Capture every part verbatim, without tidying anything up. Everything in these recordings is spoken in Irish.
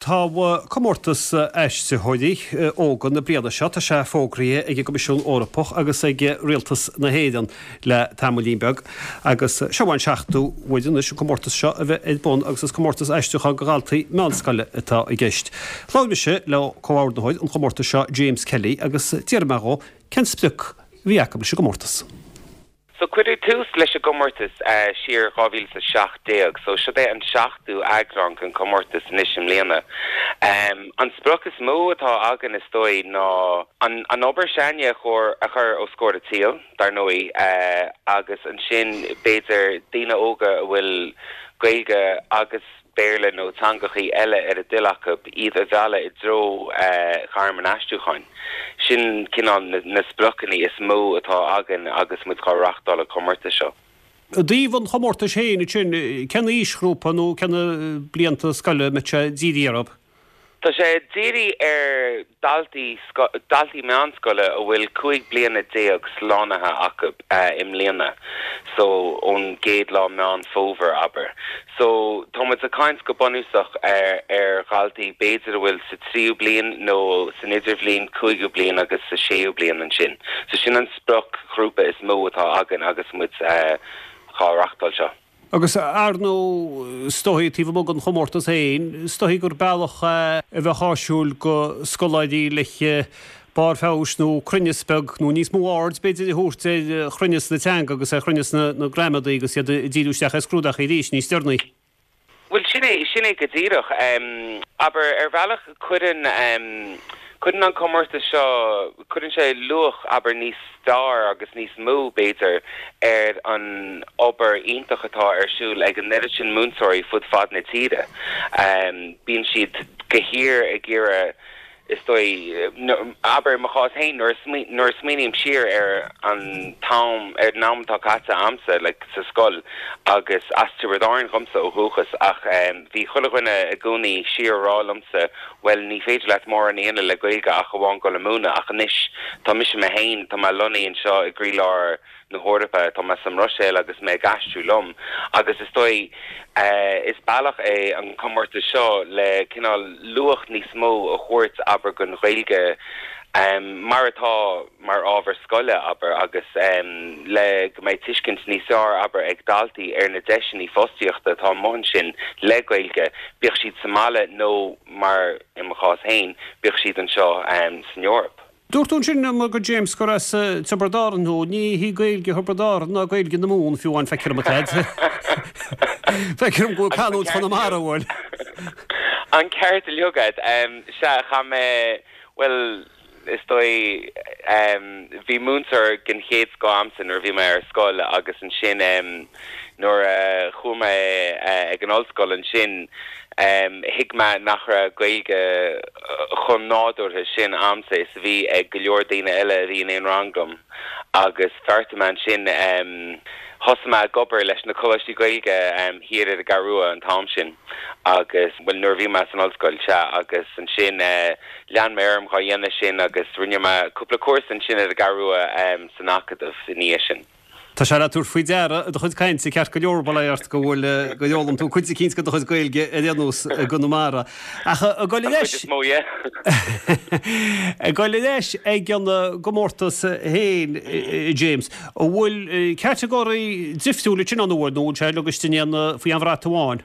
Tá comórtas aistritheoirí óga na bliana seo, tá sé fógraithe ag an gCoimisiún Eorpach agus ag Rialtas na hÉireann le tamaillín beag agus seo an seachtú huair anois an comórtas seo a bheith ar bun agus is comórtas aistriúcháin do dhaltaí meánscoile atá i gceist. Labhair mise le comhordaitheoir an chomórtais seo James Kelly agus d'iarr mé dhó cén sprioc a bhí acu leis an gcomórtas. So cuireadh tús leis an gcomórtas uh, siar dhá mhíle is a seacht déag, so seo é an seachtú eagrán den chomórtas anois i mbliana. Um, an sprioc is mó atá againn is dóigh ná an, an obair s'againne a chur a chur os comhair an tsaoil, dar ndóigh uh, agus ansin b'fhéidir daoine óga a bhfuil Gaeilge agus Béarla nó teangachaí eile ar a dtoil acu iad a mhealladh i dtreo uh, ghairm an aistriúcháin. Sin cineál na, na spriocanna is mó atá againn agus muid ag reáchtáil an chomórtais seo. I dtaobh an chomórtais féin sin cén aoisghrúpa nó cén blianta scoile mbeidh sé dírithe orthu? Tá sé dírithe ar daltaí daltaí meánscoile a bhfuil cúig bliana déag slánaithe acu uh, i mbliana, so ón gcéad lá Meán Fómhair abair. So tá muid ag caint go bunúsach ar ar dhaltaí b'fhéidir a bhfuil sa tríú bliain nó san idirbhliain cúigiú bliain agus sa séú bliain ansin. So sin an spriocghrúpa is mó atá againn agus muid uh, á reáchtáil seo. Agus ar ndóigh is dóigh taobh amuigh den chomórtas féin, is dóigh gur bealach a bheith áisiúil do scoláirí le barr feabhais nó cruinneas beag nó níos mó aird b'fhéidir a thabhairt ar chruinneas na teanga agus ar chruinneas na, na gramadaí agus iad ag díriú isteach ar scrúduithe arís níos deireanaí. Well sin é sin é go díreach um, aber ar bhealach cuireann um, cuireann an comórtas seo cuireann sé luach abair níos fearr agus níos mó b'fhéidir ar an obair iontach atá ar siúl ag an oiread sin múinteoirí fud fad na tíre. Um, bíonn siad go síoraí ag iarraidh is dóigh abair mo chás féin nuair nuair smaoiním siar ar an t-am ar an am atá caite agamsa like, sa scoil agus as Tiobraid Árann dhomsa ó dhúchas ach um, bhí chuile dhuine i gcónaí siar rá liomsa well ní féidir leat mórán a dhéanamh le Gaeilge ach amháin dul ag múineadh ach anois tá mise mé féin tá mé lonnaithe anseo i gcroílár na hEorpa tá mé sa mBruiséil agus mé ag aistriú liom agus is dóigh uh, is bealach é an comórtas seo le cineál luach níos mó a thabhairt abair don Ghaeilge um, mar atá mar ábhar scoile abair agus um, le go mbeidh tuiscint níos fearr abair ag daltaí ar na deiseanna fostaíochta atá ann sin le Gaeilge bíodh siad sa mbaile nó mar i mo chás féin bíodh siad anseo um, san Eoraip. Dúirt tú sin mar go James gur as Tiobraid Árann nó ní hí Gaeilge Thiobraid Árann ná Gaeilge na Mumhan fiú an feictear dom. Feictear dom go canúint Chonamara bhfuil. An ceart agat um, se cha mé well is dóigh um, bhí múinteoir den chéad scoth agamsa nuair bhí mé ar scoil agus ansin um, nuair uh, chuaigh mé uh, ag an ollscoil ansin um, thuig mé nach raibh Gaeilge chomh nádúrtha sin agamsa is a bhí ag go leor daoine eile a bhí in aon rang liom agus bheartaigh mé ansin um, thosaigh mé ag obair leis na coláistí Gaeilge um, thiar ar an gCeathrú Rua an t-am sin agus well nuair bhí mé san ollscoil sea agus ansin uh, lean mé orm á dhéanamh sin agus rinne mé cúpla cúrsa ansin ar an gCeathrú Rua um, san Acadamh ina dhiaidh sin. Tá sé le tabhairt faoi deara i do chuid cainte ceart go leor bailíocht go bhfuil go bhfuil tú cuid eicínt de do chuid Gaeilge ar aon nós i gConamara. Ach a goil leis a goil leis ag an gcomórtas féin James, an bhfuil catagóirí difriúla sin ann nó sé agus faoi an bhrat amháin.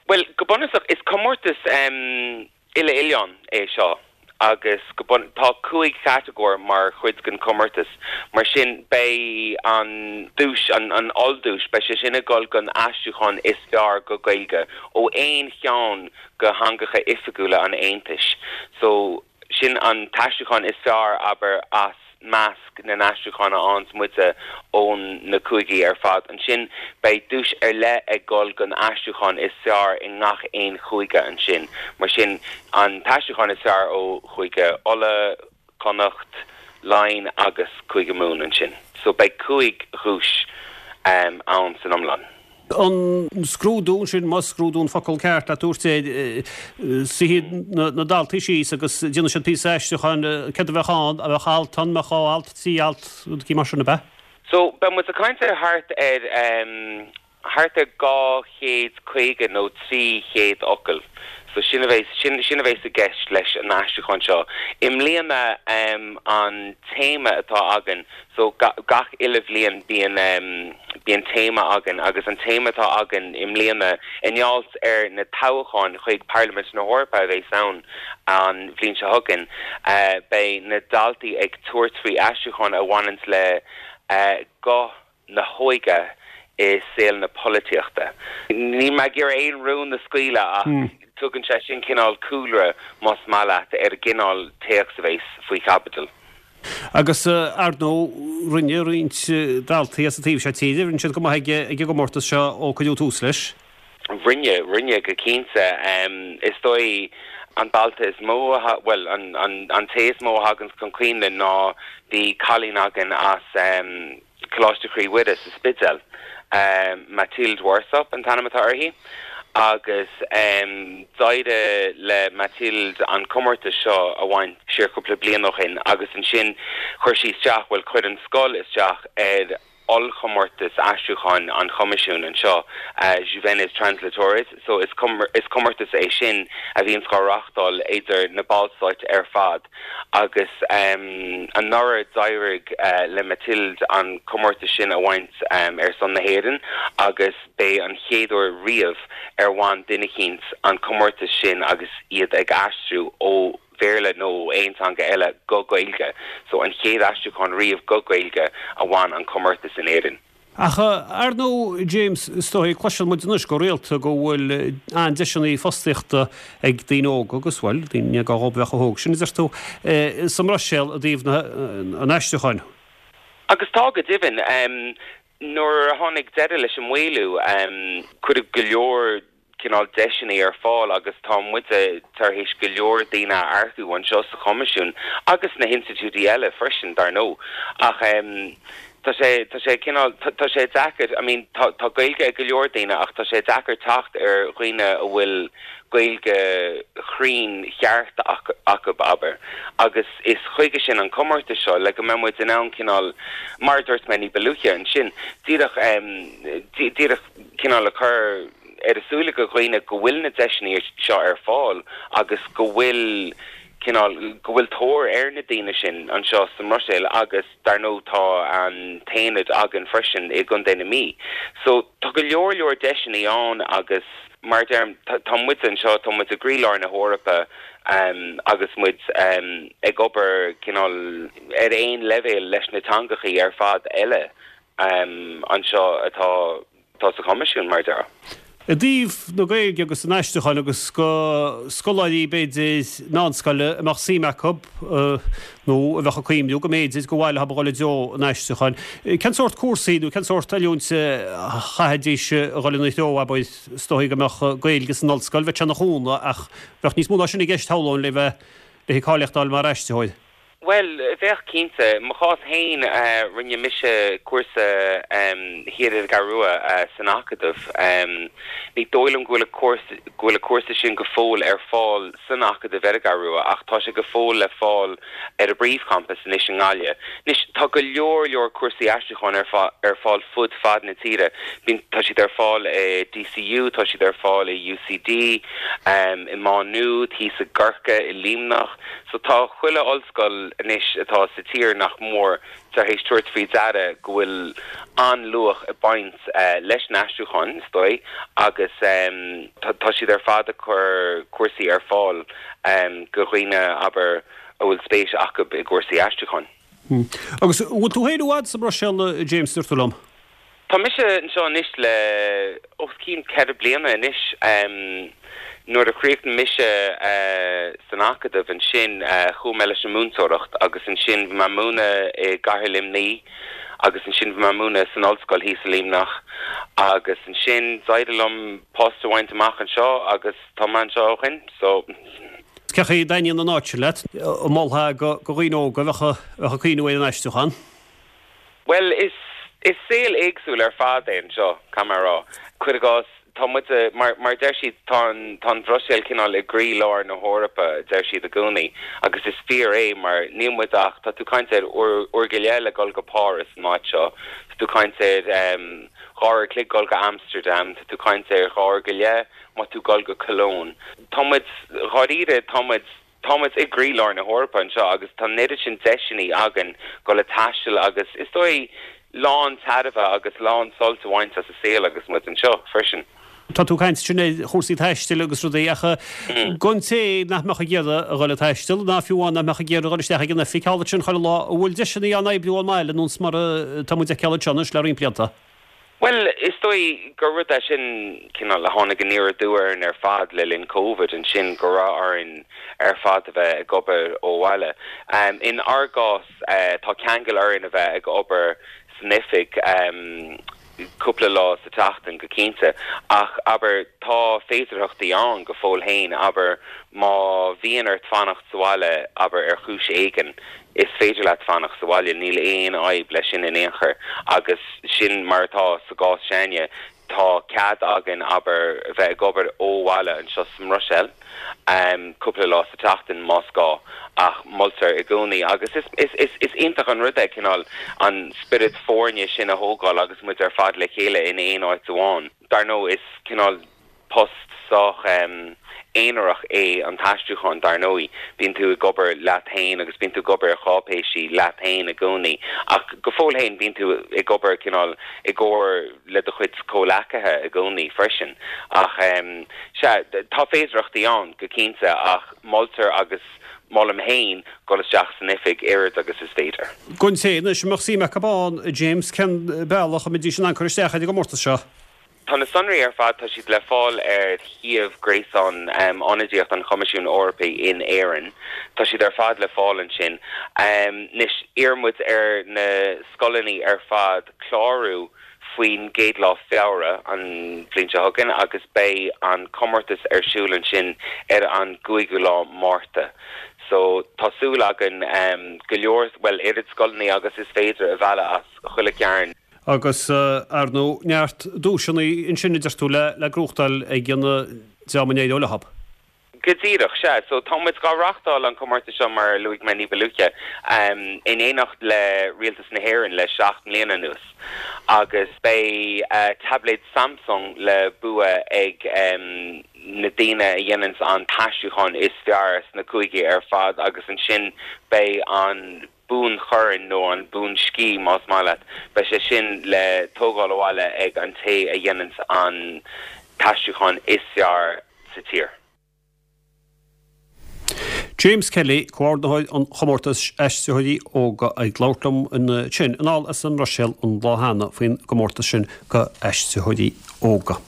Well go bunúsach is comórtas um, uile-oileáin é seo. agus go bun tá cúig chatagóir mar chuid den chomórtas mar sin beidh an duais an an ollduais beidh sé sin ag dul don aistriúchán is fearr go Gaeilge ó aon cheann de theangacha oifigiúla an Aontais so sin an t-aistriúchán is fearr abair as measc na n-aistriúchán a fhaigheanns muide ón na cúigí ar fad ansin beidh duais ar leith ag dul don aistriúchán is fearr i ngach aon chúige ansin mar sin an t-aistriúchán is fearr ó Chúige Uladh Connacht Laighean agus Cúige Mumhan ansin so beidh cúig dhuais um, ann san iomlán. An scrúdú sin más scrúdú an focal ceart le tabhairt suífidh na daltaí síos agus déanfaidh siad píosa aistriúcháin céard a bheadh ann a bheadh alt an mbeadh alt trí alt cí mar sin ab ea? So beidh muid ag caint ar thart ar um, thart ar dhá chéad caoga nó trí chéad focal. So sin a bheas sin sin a bheas i gceist leis an aistriúchán seo. I mbliana um, an téama atá againn so ga, gach uile bhliain bíonn um, bíonn téama againn agus an téama atá againn i mbliana i ngeall ar na toghcháin chuig Parlaimint na hEorpa a bheas ann an bhliain seo chugainn uh, beidh na daltaí ag tabhairt faoi aistriúchán a bhaineann le uh, guth na hóige i saol na polaitíochta. Níl mé ag iarraidh aon rún a scaoileadh ach hmm. tugann sé sin cineál cúlra más maith leat ar an gcineál téacs a bheas faoi chaibidil. Agus uh, ar ndóigh rinne roinnt uh, daltaí as an taobh seo tíre, rinne siad go maith ag an gcomórtas seo ó cuireadh tús leis? Rinne rinne go cinnte um, is dóigh an dalta is mó well an, an, an té is mó a thagann chun cuimhne ná bhí cailín againn as um, Coláiste Chroí Mhuire sa Spidéal. Um, Mathilde Warsop an t-ainm atá uirthi agus um, d'éirigh le Mathilde an comórtas seo a bhaint siar cúpla bliain ó shin agus ansin chuir sí isteach bhuel chuir an scoil isteach ar ollchomórtas aistriúcháin an Choimisiúin anseo uh, Juvenes Translatores so is is comórtas é sin a bhíonn á reáchtáil idir na Ballstáit ar fad agus um, anuraidh d'éirigh uh, le Mathilde an comórtas sin a bhaint um, ar son na hÉireann agus b'é an chéad uair riamh ar bhain duine éicint an comórtas sin agus iad ag aistriú ó Bhéarla nó aon teanga eile go Gaeilge, so an chéad aistriúchán riamh go Gaeilge a bhain an comórtas in Éirinn. Ach ar ndóigh James is dóigh cloiseann muid anois go rialta go bhfuil an-deiseanna fostaíochta ag daoine óga agus bhuel daoine go bheith óg sin is tú sa mBruiséil i dtaobh an aistriúcháin. Agus tá go deimhin um, nuair a tháinig deireadh leis an maolú um, cuireadh go leor cineál deiseanna ar fáil agus tá muide tar éis go leor daoine a earcú anseo sa Choimisiún agus na hinstitiúidí eile freisin dar ndóigh ach um, Tá sé tá sé cineál tá sé deacair I mean tá tá Gaeilge ag go leor daoine ach tá sé deacair teacht ar dhaoine a bhfuil Gaeilge chruinn cheart acu abair agus is chuige sin an comórtas seo le go mbeidh muid in ann cineál mar dúirt mé ní ba luaithe ansin díreach um, díreach cineál le cur ar a súile go dhaoine go bhfuil na deiseanna seo ar fáil agus go bhfuil cineál go bhfuil tóir ar na daoine sin anseo sa mBruiséil agus dar ndóigh tá an t-aonad againn freisin i gContae na Mí. So tá go leor leor deiseanna ann agus mar deirim tá muid anseo tá muid i gcroílár na hEorpa um, agus muid um, ag obair cineál ar aon leibhéal leis na teangachaí ar fad eile um, anseo atá tá sa Choimisiún mar deir. I dtaobh na Gaeilge agus an aistriúcháin agus go scoláirí b'fhéidir meánscoile a mbeadh suim acu nó a bheadh ag cuimhniú go mb'fhéidir gur mhaith leo a dhul i dtreo an aistriúcháin. Cén sórt cúrsaí nó cén sórt oiliúint a chaithfidís a dhul ina threo abair is dóigh go mbeadh Gaeilge san ollscoil bheadh sé ina chúnamh ach bheadh níos mó ná sin i gceist shamhlóinn le bheith le cáilíocht a fháil mar aistritheoir. Well, bheadh cinnte mo chás féin uh, rinne mise cúrsa um, thiar ar an gCeathrú Rua uh, san Acadamh. Um, ní dóigh liom go bhfuil go bhfuil cúrsa sin go fóill ar fáil san Acadamh ar an gCeathrú Rua ach tá sé go fóill le fáil ar an bpríomhchampas anois i nGaillimh. Anois tá go leor leor cúrsaí aistriúcháin ar ar fáil fud fad na tíre. Bíonn tá siad ar fáil i DCU, tá siad ar fáil i UCD, um, i Má Nuad, thíos i gCorcaigh i Luimneach, so tá chuile ollscoil anois atá sa tír nach mór tar éis tabhairt faoi deara go bhfuil an-luach ag baint uh, leis an aistriúchán is dóigh agus um, tá siad ar fad ag cur cúrsaí ar fáil um, go dhaoine abair a bhfuil spéis acu i gcúrsaí aistriúcháin. Hmm. Agus bhfuil tú féin i bhfad sa Bhruiséil James dúirt tú liom? Tá mise anseo anois le os cionn ceithre bliana anois um, nuair a chríochnaigh mise uh, san Acadamh ansin uh, chuaigh mé leis an múinteoireacht agus ansin bhí mé ag múineadh i gCathair Luimnigh agus ansin bhí mé ag múineadh san ollscoil thíos i Luimneach agus ansin d'éirigh liom post a bhaint amach anseo agus tá mé anseo ó shin so Cén chaoi a dtaitníonn an áit leat an molfá go go dhaoine óga a bheadh ag cuimhniú ar an aistriúchán? Well is is saol éagsúil ar fad é anseo caithfidh mé a rá. Cuir i gcás tá muid mar mar deir siad tá tá an Bhruiséil cineál i gcroílár na hEorpa deir siad i gcónaí agus is fíor é mar níl muid ach tá tú ag caint ar uair go leith le dul go Páras an áit seo tú ag caint ar um, dhá uair a chloig dul go Amsterdam, tá tú ag caint ar dhá uair go leith má tá tú ag dul go Cologne. Tá muid dháiríre tá muid tá muid i gcroílár na hEorpa anseo agus tá an oiread sin deiseanna againn dul ag taisteal agus is dóigh lán tairbhe agus lán sult a bhaint as an saol agus muid anseo freisin. Tá tú ag caint ansin ar chúrsaí taistil agus rudaí ach don té nach mbeadh ag iarraidh a dhul ag taisteal ná fiú amháin nach mbeadh ag iarraidh a dhul isteach ag an oifig thall ansin chuile lá, an bhfuil deiseanna ann oibriú ón mbaile nós mar atá muid ag feiceáil anseo anois le roinnt blianta? Bhuel, is dóigh gur rud é sin cineál a tháinig aniar aduaidh orainn ar fad le linn Covid ansin go raibh orainn ar fad a bheith ag obair ó bhaile. In ár gcás, tá ceangal orainn a bheith ag obair san oifig cúpla lá sa tseachtain go cinnte, ach abair tá féidearthachtaí ann go fóill féin, abair má bhíonn ort fanacht sa bhaile, abair ar chúis éigin, Is féidir leat fanacht sa bhaile, níl aon fhadhb leis sin in aon chor. Agus sin mar atá sa gcás s'againne, tá cead againn, abair, bheith ag obair ó bhaile anseo sa mBruiséil cúpla lá sa tseachtain más gá, ach moltar i gcónaí, agus is iontach an rud é cineál an spiorad foirne sin a thógáil agus muid ar fad le chéile in aon áit amháin. Dar ndóigh, is cineál. Post sách aonarach é an t-aistriúchán, dar ndóigh. Bíonn tú ag obair leat féin agus bíonn tú ag obair ar cháipéisí leat féin i gcónaí. Ach go fóill féin, bíonn tú ag obair cineál i gcomhar le do chuid comhleacaithe i gcónaí freisin. Ach sea, tá féidearthachtaí ann, go cinnte, ach moltar agus molaim féin dul isteach san oifig oiread agus is féidir. Don té anois a mbeadh suim acu ann, a James, cén bealach a mbeidís in ann cur isteach ar an gcomórtas seo? Tá na sonraí ar fad, tá siad le fáil ar shuíomh gréasáin Ionadaíocht an Choimisiúin Eorpaigh in Éirinn. Tá siad ar fad le fáil ansin. Anois, iarrann muid ar na scoileanna ar fad clárú faoin gcéad lá Feabhra an bhliain seo chugainn agus beidh an comórtas ar siúl ansin ar an gcúigiú lá Márta. So, tá súil againn go leor, bhuel, oiread scoileanna agus is féidir a mhealladh as chuile chearn. Agus, ar ndóigh, neart duaiseanna ansin a deir tú le le gnóthachtáil ag an dream a n-éireoidh leo. Go díreach, sea. So, tá muid dhá reachtáil an comórtas seo, mar a luaigh mé ní ba luaithe, in éineacht le Rialtas na hÉireann le seacht mbliana anuas. Agus beidh taibléad Samsung le bua ag na daoine a dhéananns an t-aistriúchán is fearr sna cúigí ar fad agus ansin beidh an buanchorn, nó an buansciath más maith leat, beidh sé sin le tógáil abhaile ag an té a dhéananns an t-aistriúchán is fearr sa tír. James Kelly, Comhordaitheoir an Chomórtais Aistritheoirí Óga ag labhairt liom ansin anall as an mBruiséil an lá cheana faoin gcomórtas sin do aistritheoirí óga.